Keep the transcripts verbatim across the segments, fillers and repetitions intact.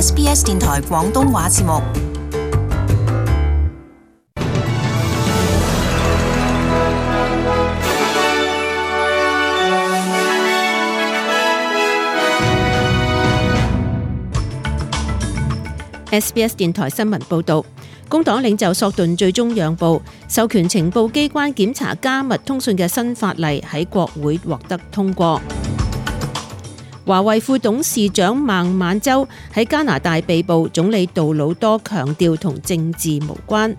S B S 電台廣東話節目。S B S 電台新聞報導，工黨領袖索頓最終讓步，授權情報機關檢查加密通訊嘅新法例喺國會獲得通過。華為副董事長孟晚舟喺加拿大被捕，總理杜魯多強調同政治無關。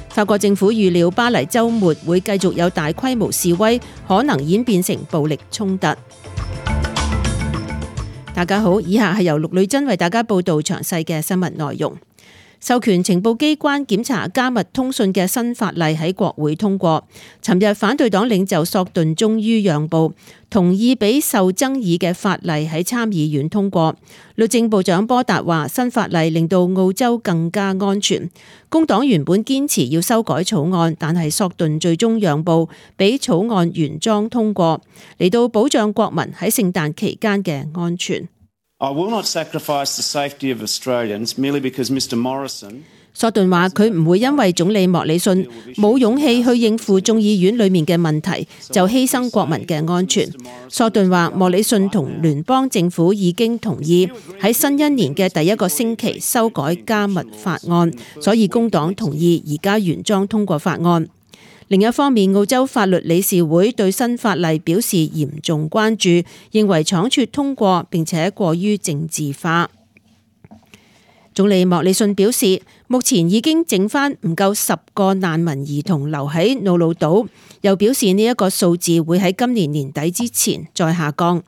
法國政府預料巴黎週末會繼續有大規模示威，可能演變成暴力衝突。大家好，以下係由陸女真為大家報道詳細嘅新聞內容。授權情報機關檢查加密通訊嘅新法例喺國會通過。尋日反對黨領袖索頓終於讓步，同意俾受爭議嘅法例喺參議院通過。律政部長波達話，新法例令到澳洲更加安全。工黨原本堅持要修改草案，但係索頓最終讓步，俾草案原裝通過，嚟到保障國民喺聖誕期間嘅安全。I will not sacrifice the safety of Australians merely because Mr Morrison。索頓話佢唔會因為總理莫里遜冇勇氣去應付眾議院裏面嘅問題，就犧牲國民嘅安全。索頓話莫里遜同聯邦政府已經同意喺新一年嘅第一個星期修改加密法案，所以工黨同意而家原裝通過法案。另一方面，澳洲法律理事會對新法例表示嚴重關注，認為倉促通過並且過於政治化。總理莫里遜表示，目前已經剩返唔夠十個難民兒童留喺瑙魯島，又表示呢一個數字會喺今年年底之前再下降。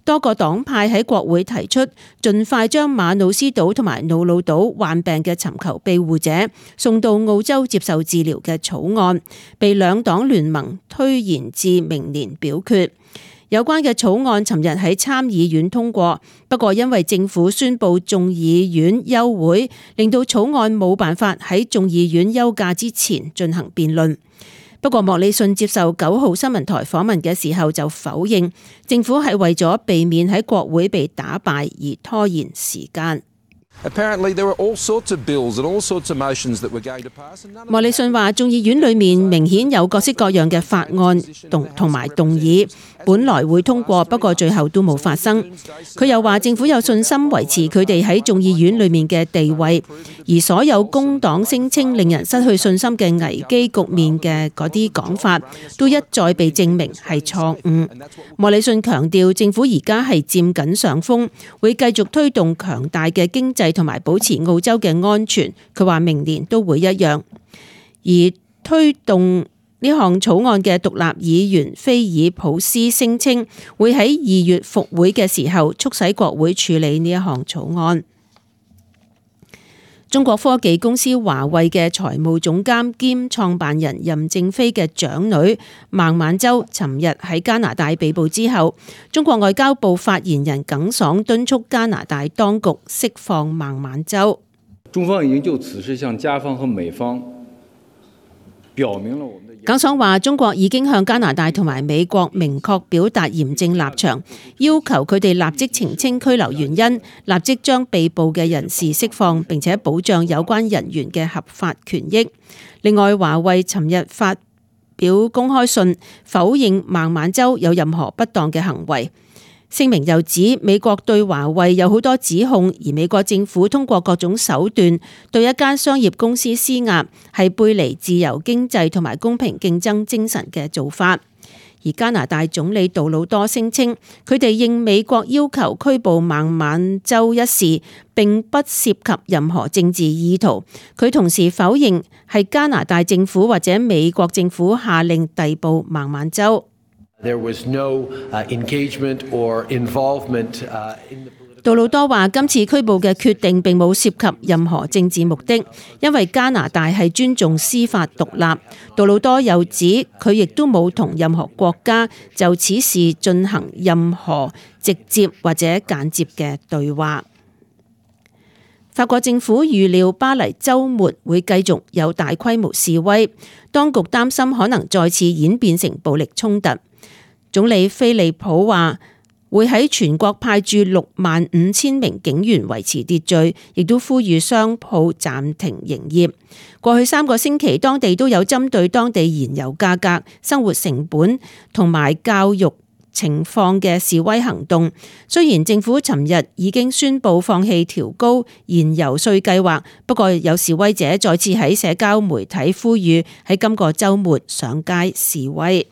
多個黨派喺國會提出盡快將馬努斯島同埋瑙魯島患病嘅尋求庇護者送到澳洲接受治療嘅草案，被兩黨聯盟推延至明年表決。有關嘅草案尋日喺參議院通過，不過因為政府宣布眾議院休會，令到草案冇辦法喺眾議院休假之前進行辯論。不過莫里遜接受九號新聞台訪問嘅時候就否認政府係為咗避免喺國會被打敗而拖延時間。莫里遜話，眾議院裏面明顯有各式各樣嘅法案同同埋動議，本來會通過，不過最後都冇發生。佢又話政府有信心維持佢哋喺眾議院裏面嘅地位，而所有工黨聲稱令人失去信心嘅危機局面嘅嗰啲講法，都一再被證明係錯誤。莫里遜強調政府而家係佔緊上風，會繼續推動強大嘅經濟同埋保持澳洲嘅安全，佢話明年都會一樣。而推動呢項草案嘅獨立議員菲爾普斯聲稱，會喺二月復會嘅時候促使國會處理呢一項草案。中國科技公司華為嘅財務總監兼創辦人任正非嘅長女孟晚舟，尋日喺加拿大被捕之後，中國外交部發言人耿爽敦促加拿大當局釋放孟晚舟。中方已經就此事向加方和美方表明了我們的。耿爽話：中國已經向加拿大同埋美國明確表達嚴正立場，要求佢哋立即澄清拘留原因，立即將被捕嘅人士釋放，並且保障有關人員嘅合法權益。另外，華為尋日發表公開信，否認孟晚舟有任何不當嘅行為。聲明又指美國對華為有好多指控，而美國政府通過各種手段對一間商業公司施壓，係背離自由經濟同埋公平競爭精神嘅做法。而加拿大總理杜魯多聲稱，佢哋應美國要求拘捕孟晚舟一事並不涉及任何政治意圖。佢同時否認係加拿大政府或者美國政府下令逮捕孟晚舟。There was no engagement or involvement in the。杜魯多話：今次拘捕嘅決定並冇涉及任何政治目的，因為加拿大係尊重司法獨立。杜魯多又指佢亦都冇同任何國家就此事進行任何直接或者間接嘅對話。法國政府預料巴黎週末會繼續有大規模示威，當局擔心可能再次演變成暴力衝突。總理菲利普話：會喺全國派駐六萬五千名警員維持秩序，亦都呼籲商鋪暫停營業。過去三個星期，當地都有針對當地燃油價格、生活成本同埋教育情況嘅示威行動。雖然政府尋日已經宣布放棄調高燃油稅計劃，不過有示威者再次喺社交媒體呼籲喺今個週末上街示威。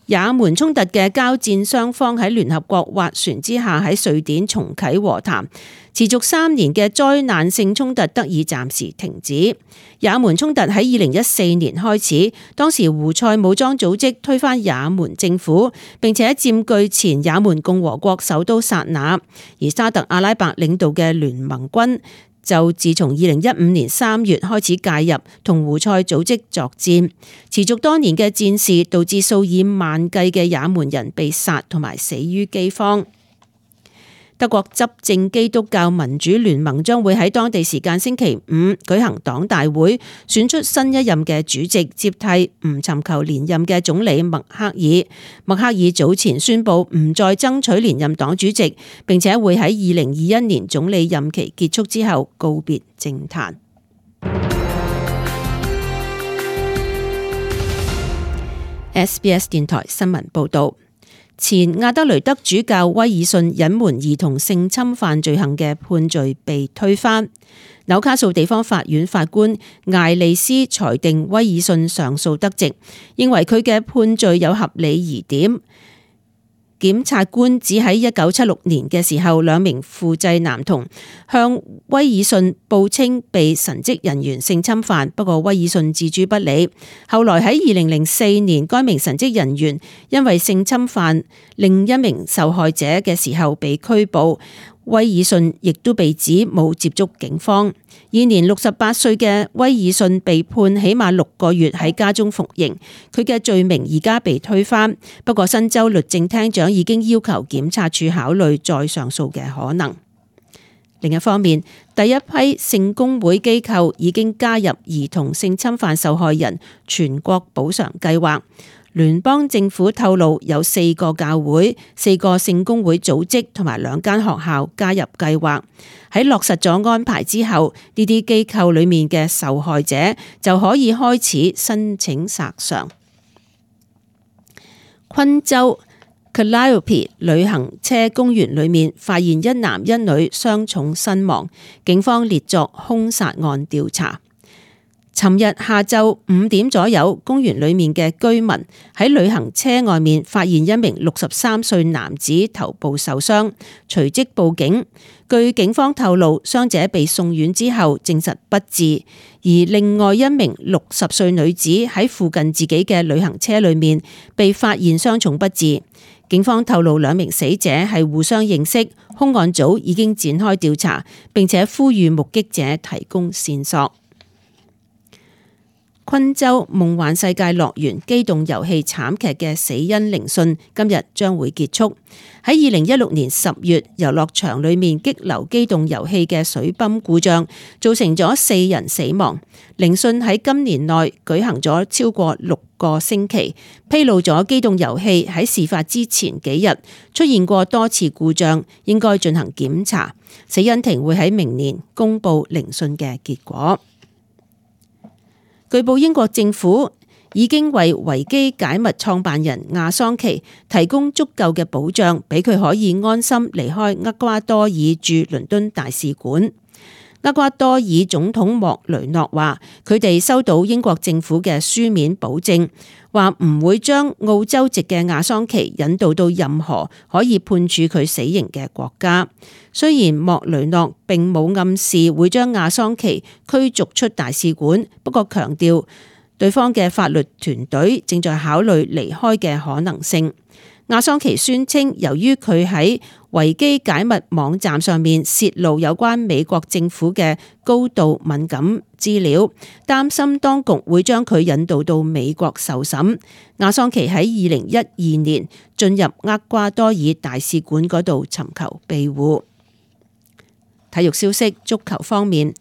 也門衝突嘅交戰雙方喺聯合國斡旋之下喺瑞典重啟和談，持續三年嘅災難性衝突得以暫時停止。也門衝突喺二零一四年開始，當時胡塞武裝組織推翻也門政府，並且佔據前也門共和國首都薩那，而沙特阿拉伯領導嘅聯盟軍就自從二零一五年三月開始介入，同胡塞組織作戰，持續多年嘅戰事導致數以萬計嘅也門人被殺同埋死於饑荒。德國執政基督教民主聯盟將會喺當地時間星期五舉行黨大會，選出新一任嘅主席，接替唔尋求連任嘅總理默克爾。默克爾早前宣布唔再爭取連任黨主席，並且會喺二零二一年總理任期結束之後告別政壇。S B S 電台新聞報道。前亞德雷德主教威爾遜隱瞞兒童性侵犯罪行嘅判罪被推翻。紐卡素地方法院法官艾利斯裁定威爾遜上訴得直，認為佢嘅判罪有合理疑點。檢察官指喺一九七六年嘅時候，兩名副濟男童向威爾遜報稱被神職人員性侵犯，不過威爾遜置諸不理。後來喺二零零四年，該名神職人員因為性侵犯另一名受害者嘅時候被拘捕，威爾遜亦都被指冇接觸警方。現年六十八歲嘅威爾遜被判起碼六個月喺家中服刑，佢嘅罪名而家被推翻。不過新州律政廳長已經要求檢察處考慮再上訴嘅可能。另一方面，第一批聖公會機構已經加入兒童性侵犯受害人全國補償計劃。聯邦政府透露有四個教會、四個聖公會組織同埋兩間學校加入計劃。喺落實咗安排之後，呢啲機構裡面嘅受害者就可以開始申請索償。昆州 Calliope 旅行車公園裡面發現一男一女傷重身亡，警方列作兇殺案調查。尋日下晝五點左右，公園裡面嘅居民喺旅行車外面發現一名六十三歲男子頭部受傷，隨即報警。據警方透露，傷者被送院之後證實不治，而另外一名六十歲女子喺附近自己嘅旅行車裡面被發現傷重不治。警方透露兩名死者係互相認識，兇案組已經展開調查，並且呼籲目擊者提供線索。昆州夢幻世界樂園機動遊戲慘劇嘅死因聆訊今日將會結束。喺二零一六年十月，遊樂場裡面激流機動遊戲嘅水泵故障，造成咗四人死亡。聆訊喺今年內舉行咗超過六個星期，披露咗機動遊戲喺事發之前幾日出現過多次故障，應該進行檢查。死因庭會喺明年公布聆訊嘅結果。據報英國政府已經為維基解密創辦人亞桑奇提供足夠嘅保障，俾佢可以安心離開厄瓜多爾駐倫敦大使館。厄瓜多爾總統莫雷諾話，佢哋收到英國政府嘅書面保證，話唔會將澳洲籍嘅亞桑奇引渡到任何可以判處佢死刑嘅國家。雖然莫雷諾並冇暗示會將亞桑奇驅逐出大使館，不過強調對方嘅法律團隊正在考慮離開嘅可能性。亞桑奇宣稱，由於佢喺維基解密網站上面泄露有關美國政府嘅高度敏感資料，擔心當局會將佢引渡到美國受審。亞桑奇喺二零一二年進入厄瓜多爾大使館嗰度尋求庇護。體育消息，足球方面，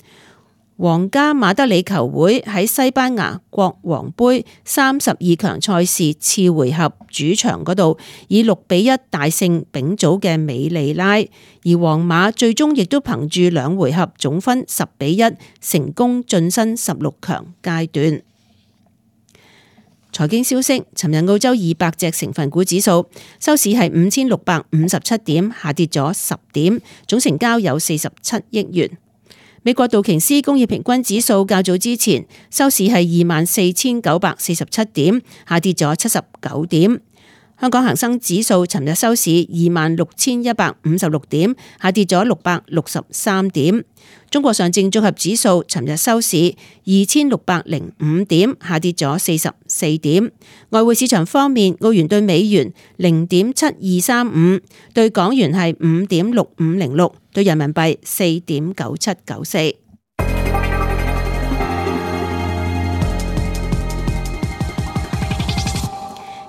皇家馬德里球會喺西班牙國王盃三十二強賽事次回合主場嗰度以六比一大勝丙組嘅美利拉，而皇馬最終亦都憑住兩回合總分十比一成功晉身十六強階段。財經消息，尋日澳洲二百隻成分股指數收市係五千六百五十七點，下跌咗十點，總成交有四十七億元。美國道瓊斯工業平均指數較早之前收市係二萬四千九百四十七點，下跌咗七十九點。香港恒生指數尋日收市二萬六千一百五十六點，下跌咗六百六十三點。中國上證綜合指數尋日收市二千六百零五點，下跌咗四十四點。外匯市場方面，澳元對美元零點七二三五，對港元係五點六五零六，對人民幣四點九七九四。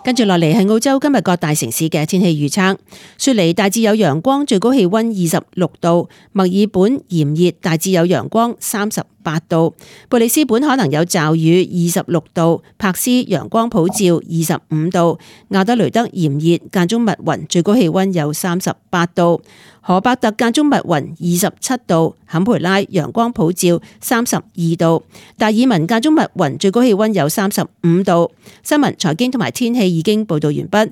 跟住落嚟係澳洲今日各大城市嘅天氣預測。雪梨大致有陽光，最高氣溫二十六度；墨爾本炎熱，大致有陽光，三十八度；貝里斯本可能有驟雨，二十六度；柏斯陽光普照，二十五度；亞德雷德炎熱，間中密雲，最高氣溫有三十八度；荷伯特間中密雲，二十七度；坎培拉陽光普照，三十二度；達爾文間中密雲，最高氣溫有三十五度。新聞、財經同埋天氣已經報道完畢。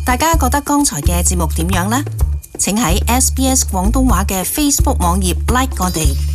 大家覺得剛才嘅節目點樣呢？請喺 S B S 廣東話嘅 Facebook 網頁 like 我哋。